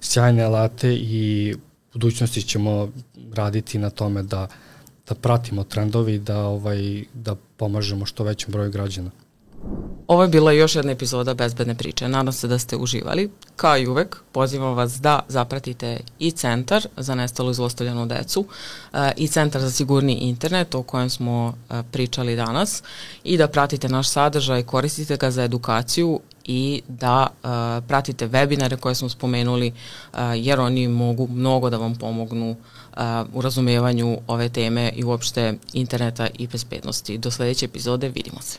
[SPEAKER 2] sjajne alate i u budućnosti ćemo raditi na tome da pratimo trendovi i da pomažemo što većem broju građana.
[SPEAKER 1] Ovo je bila još jedna epizoda Bezbedne priče. Nadam se da ste uživali. Kao i uvek, pozivam vas da zapratite i Centar za nestalu i zlostavljanu decu i Centar za sigurni internet o kojem smo pričali danas i da pratite naš sadržaj, koristite ga za edukaciju i da pratite webinare koje smo spomenuli, jer oni mogu mnogo da vam pomognu u razumevanju ove teme i uopšte interneta i bezbednosti. Do sledeće epizode, vidimo se.